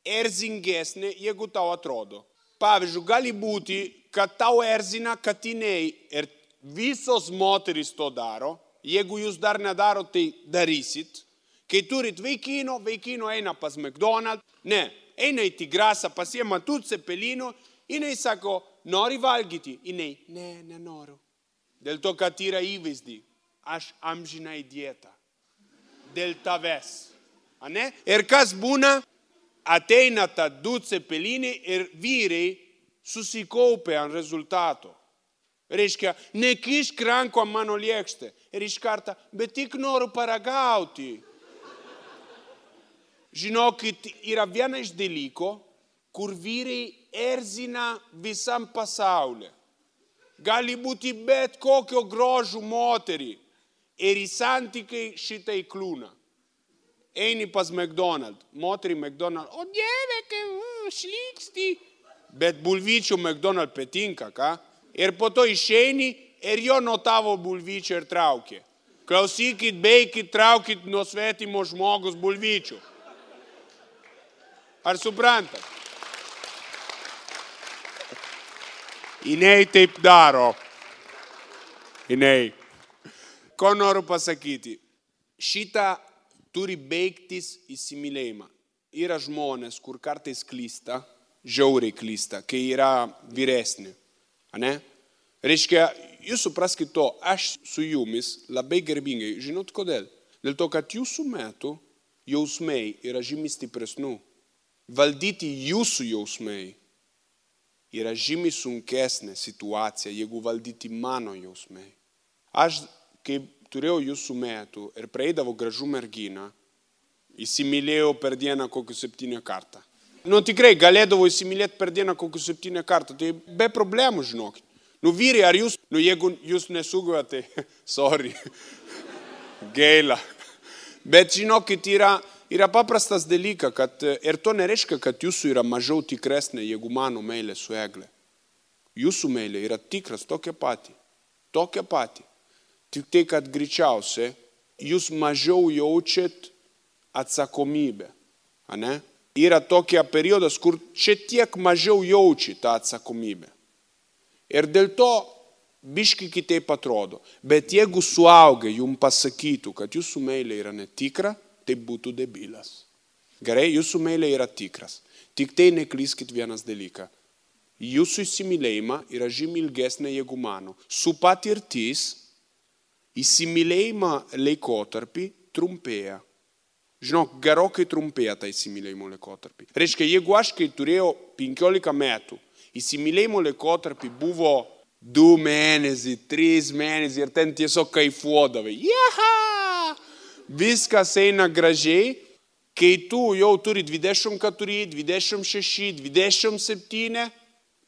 erzingesnė, jeigu tau atrodo. Pavyzdžiui, gali būti, kad tau erzina, kad jinai ir visos moterys to daro. Jeigu jūs dar nedaro, tai darysit. Kai turit vaikino eina pas McDonald's. Ne, eina į Tigrasą, pasiema tų cepelino. Jinai sako, nori valgyti? Jinai, ne, nenoriu. Dėl to, kad yra įvaizdį. Aš amžinai dietą. Dėl tavęs. Ane? Ir kas būna? Ateina ta 2 cepelinai ir vyrai susikaupia ant rezultato. Reiškia, nekišk ranko ant mano lėkštę. Ir iš karto, bet tik noriu paragauti. Žinokit, yra viena iš dalyko, kur vyrai erzina visam pasaulyje. Gali būti bet kokio grožų moterį. Ir į santykiai šitai kliūna. Eini pas McDonald's. Moterį McDonald's. O dieve, kai šlyksti. Bet bulvyčių McDonald's patinka, ką? Ir po to išeini ir jo nuo tavo bulvyčio ir traukė. Klausykit, beikit, traukit nuo svetimo žmogus bulvyčių. Ar suprantat? Jinai taip daro. Jinai. Ko noriu pasakyti? Šitą turi baigtis įsimylėjimą. Yra žmonės, kur kartais klysta, žiauriai klysta, kai yra vyresni. Ane? Reiškia, jūs supraskit to, aš su jumis labai garbingai. Žinot kodėl? Dėl to, kad jūsų metu jausmai yra žymiai stipresnių. Valdyti jūsų jausmai yra žymiai sunkesnė situacija, jeigu valdyti mano jausmai. Aš, kai turėjau jūsų metų ir praeidavo gražų merginą, įsimylėjau per dieną kokius 7 kartą. Nu, tikrai galėdavo įsimylėti per dieną kokius 7 kartų, tai be problemų, žinokit. Nu, vyrai, ar jūs, jeigu jūs nesugavate, tai sorry, gaila. Bet žinokit, yra paprastas dalykas, kad ir to nereiškia, kad jūsų yra mažiau tikresnė, jeigu mano meilė su Egle. Jūsų meilė yra tikras, tokia pati. Tik tai, kad greičiausiai jūs mažiau jaučiat atsakomybę. Ane? Yra tokia periodas, kur šiek tiek mažiau jauči tą atsakomybę. Ir dėl to biški kitaip atrodo. Bet jeigu suaugę jums pasakytų, kad jūsų meilė yra netikra, tai būtų debilas. Gerai, jūsų meilė yra tikras. Tik tai neklyskit vienas dalyką. Jūsų įsimylėjimą yra žymiai ilgesnė, jeigu mano. Su patirtis įsimylėjimo laikotarpį trumpėja. Žinok, gerokai trumpėja tą įsimylėjimo laikotarpį. Reiškia, jeigu aš, kai turėjau 15 metų, įsimylėjimo laikotarpį buvo 2 mėnesiai, 3 mėnesiai ir ten tiesiog kaifuodavai. Jaha! Viskas eina gražiai, kai tu jau turi 24, 26, 27,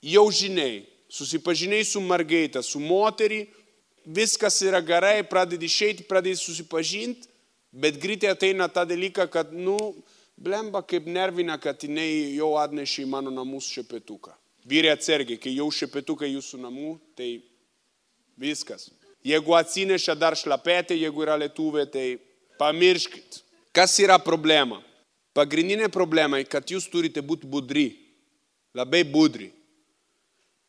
jau žinai, susipažinai su mergaite, su moterį, viskas yra gerai, pradedi išeiti, pradedi susipažinti, bet greitai ateina tą dalyką, kad, blemba kaip nervina, kad jinai jau atnešė į mano namus šepetuką. Vyrai atsargiai, kai jau šepetukai jūsų namų, tai viskas. Jeigu atsineša dar šlapetė, jeigu yra lietuvė, tai pamirškit. Kas yra problema? Pagrindinė problema, kad jūs turite būti budri, labai budri.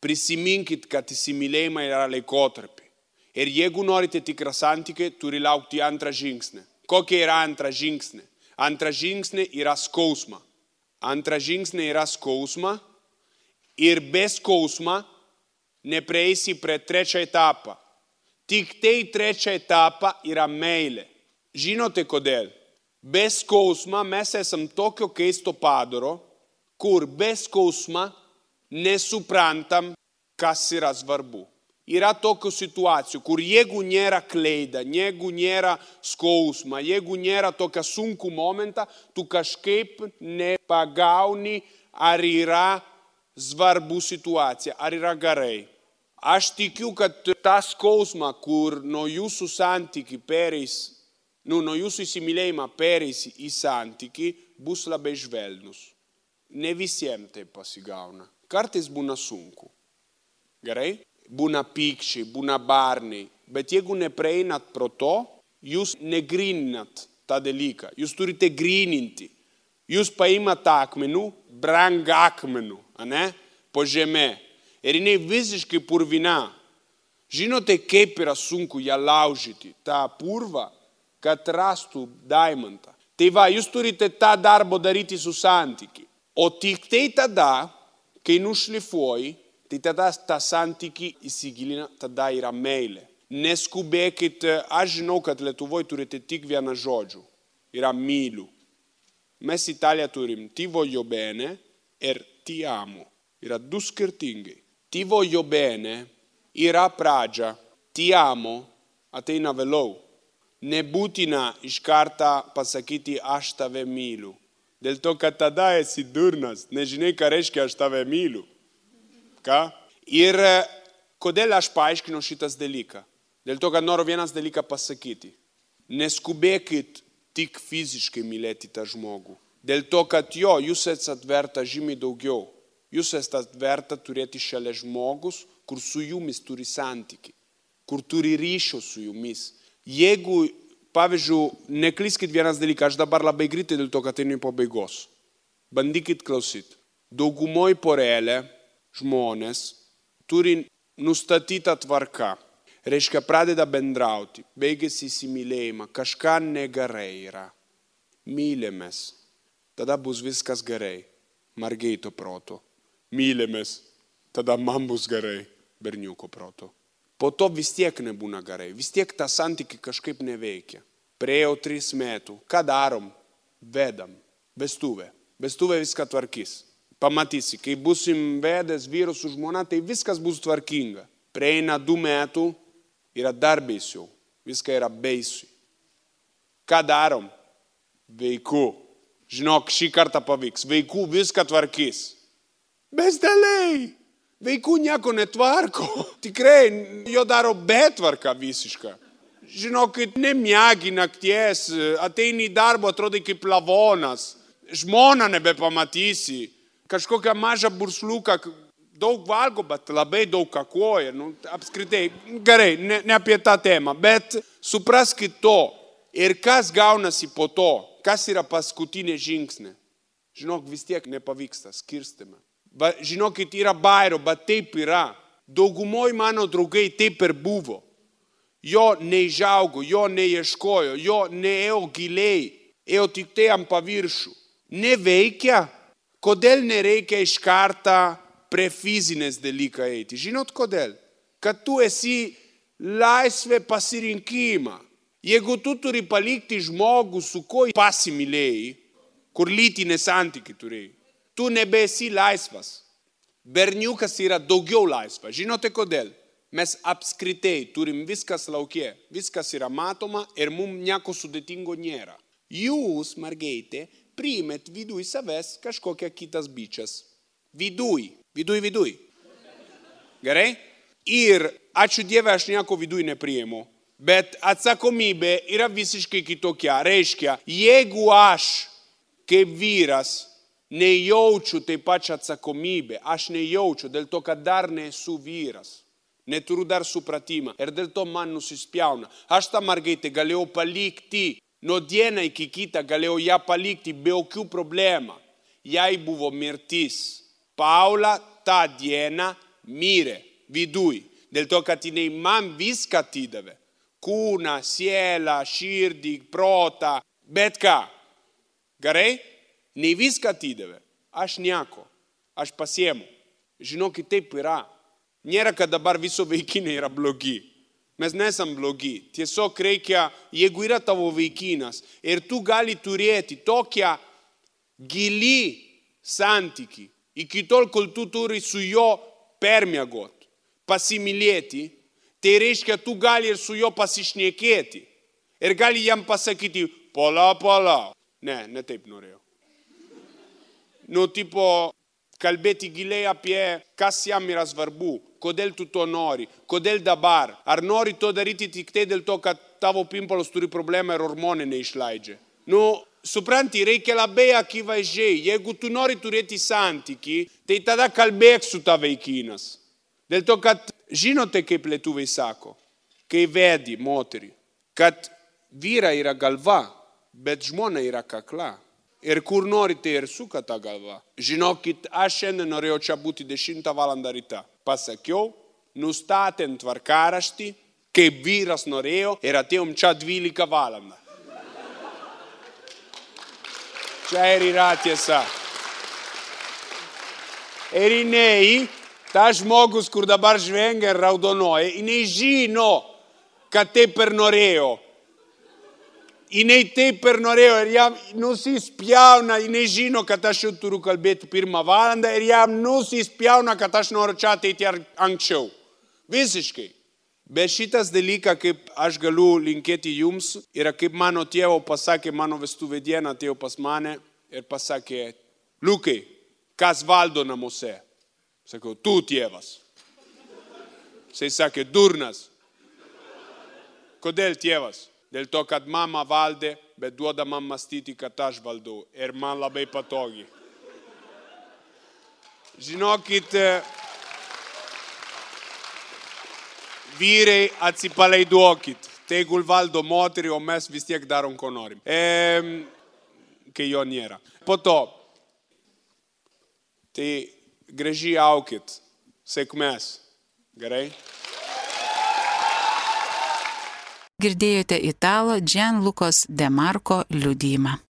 Prisiminkit, kad įsimylėjimai yra laikotarpiai. Ir jeigu norite tikrą santykį, turi laukti antrą žingsnį. Kokia yra antrą žingsnį? Antrą žingsnį yra skausma. Ir be skausma neprieisi prie trečią etapą. Tik tai trečią etapą yra meilė. Žinote kodėl? Be skausma mes esam tokio keisto padaro, kur be skausma nesuprantam, kas yra svarbu. Yra tokių situacijų, kur jeigu nėra kleida, jeigu nėra skausma, jeigu nėra tokia sunku momentą, tu kažkaip nepagauni, ar yra svarbu situacija, ar yra gerai. Aš tikiu, kad tą skausmą, kur nuo jūsų santykių pereis, nuo jūsų įsimylėjimą pereis į santykį, bus labai švelnus. Ne visiems tai pasigauna. Kartais būna sunku. Gerai? Būna pykčiai, būna barniai. Bet jeigu neprieinat pro to, jūs negrininat tą dalyką. Jūs turite grininti. Jūs paimat akmenų, brangą akmenų, po žemė. Ir jinai visiškai purvina. Žinote, kaip yra sunku ją laužyti, tą purvą, kad rastų daimantą. Tai va, jūs turite tą darbą daryti su santykiu. O tik tai tada, kai nušlifuoji, tai tada tą santykį įsigilina, tada yra meilė. Neskubėkit, aš žinau, kad Lietuvoje turite tik vieną žodžių. Yra myliu. Mes Italiją turim ti voglio bene ir ti amo. Yra 2 skirtingai. Ti voglio bene yra pradžia, ti amo ateina vėliau. Nebūtina iš karto pasakyti aš tave myliu. Dėl to, kad tada esi durnas, nežinai, ką reiškia aš tave myliu. Ką? Ir kodėl aš paaiškinu šitas dalyką? Dėl to, kad noriu vienas dalyką pasakyti. Neskubėkit tik fiziškai mylėti tą žmogų. Dėl to, kad jūs esat verta žymiai daugiau. Jūs esat verta turėti šalia žmogus, kur su jumis turi santykį, kur turi ryšio su jumis. Jeigu, pavyzdžiui, neklyskit vienas dalykas, aš dabar labai greitai dėl to, kad einu į pabaigos. Bandykit klausyti. Daugumoj porelė žmonės turi nustatytą tvarką. Reiškia, pradeda bendrauti, baigėsi įsimylėjimą, kažką negerai yra. Mylimės, tada bus viskas gerai, mergaito proto. Mylimės, tada man bus gerai, berniuko proto. Po to vis tiek nebūna gerai, vis tiek tą santykį kažkaip neveikia. Praėjo 3 metų, ką darom? Vedam, vestuvė. Vestuvė viską tvarkys. Pamatysi, kai busim vedęs vyru su žmona, tai viskas bus tvarkinga. Praeina 2 metų, yra dar baisiau. Viską yra baisiai. Ką darom? Vaiku. Žinok, šį kartą pavyks. Vaikų viską tvarkys. Besteliai. Vaikų nieko netvarko. Tikrai, jo daro betvarką visišką. Žinokit, nemiegi nakties, ateini į darbą, atrodai kaip lavonas. Žmoną nebepamatysi. Kažkokią mažą bursliuką, daug valgo, bet labai daug kakoja. Apskritai, gerai, ne apie tą temą, bet supraskit to. Ir kas gaunasi po to, kas yra paskutinė žingsnė. Žinok, vis tiek nepavyksta, skirstime. Žinokit, yra bairo, bet taip yra. Daugumoj mano draugai taip ir buvo. Jo neižaugo, jo neieškojo, jo neėjo giliai, ėjo tik tai ant paviršių. Neveikia. Kodėl nereikia iš karto prie fizinės dalyką eiti? Žinot kodėl? Kad tu esi laisvė pasirinkimą. Jeigu tu turi palikti žmogų, su kuo pasimylėjai, kur lytinė santykiai turėjai, tu nebesi laisvas. Berniukas yra daugiau laisvas. Žinote kodėl? Mes apskritai turim viskas laukie, viskas yra matoma ir mums nieko sudėtingo nėra. Jūs, mergaitė, priimet viduj savęs kažkokią kitas bičias. Viduj. Gerai? Ir ačiū Dieve, aš nieko viduj nepriimu. Bet atsakomybė yra visiškai kitokia. Reiškia, jeigu aš kaip vyras nejaučiu taip pačią atsakomybę, aš nejaučiu dėl to, kad dar nesu vyras. Neturiu dar supratimą ir dėl to man nusispjauna. Aš tą mergaitę galėjau palikti, nuo dieną iki kitą galėjau ją palikti be jokių problemų. Jai buvo mirtis. Paula tą dieną mirė viduj. Dėl to, kad jinai man viską atidavė. Kūną, sielą, širdį, protą, bet ką. Gerai? Ne viską atidavė. Aš nieko. Aš pasiemu. Žinokit, taip yra. Nėra, kad dabar viso vaikinai yra blogi. Mes nesam blogi. Tiesiog reikia, jeigu yra tavo vaikinas ir tu gali turėti tokią gilį santykį, iki tol, kol tu turi su jo permiegot, pasimylėti, tai reiškia, tu gali ir su jo pasišnekėti. Ir gali jam pasakyti, pala. Ne taip norėjau. Tipo, kalbėti giliai apie, kas jam yra svarbu, kodėl tu to nori, kodėl dabar. Ar nori to daryti tik tai dėl to, kad tavo pimpolas turi problemą ir hormonai neišleidžia. Supranti, reikia labai akivaizdžiai. Jeigu tu nori turėti santykį, tai tada kalbėk su ta vaikinas. Dėl to, kad žinote, kaip lietuviai sako, kai vedi moterį, kad vyra yra galva, bet žmona yra kakla. Ir kur norite ir suka tą galvą. Žinokit, aš šiandien norėjau čia būti 10 valandą ryte. Pasakiau, nustatėm tvarkaraštį, kaip vyras norėjo ir atėjom čia 12 valandą. Čia ir yra tiesa. Ir jinai, tas žmogus, kur dabar žvengia ir raudonoja, jinai žino, kad taip ir norėjo. Jinai taip ir norėjo ir jam nusispjauna, jinai žino, kad aš jau turiu kalbėti 1 valandą ir jam nusispjauna, kad aš noriu čia ateiti anksčiau. Visiškai. Bet šitas dalykas, kaip aš galiu linkėti jums, yra kaip mano tėvo pasakė, mano vestuvė dieną atėjo pas mane ir pasakė, Liukai, kas valdo namuose? Sakau, tu tėvas. Jisai sakė, durnas. Kodėl tėvas? Dėl to, kad mama valdė, bet duoda man mąstyti, kad aš valdau. Ir man labai patogi. Žinokit, vyrai atsipalaiduokit. Tegul valdo moterį, o mes vis tiek darom, ko norim. Kai jo nėra. Po to, tai gražiai aukit. Sėkmės. Gerai? Girdėjote italo Gianlucos De Marco liudijimą.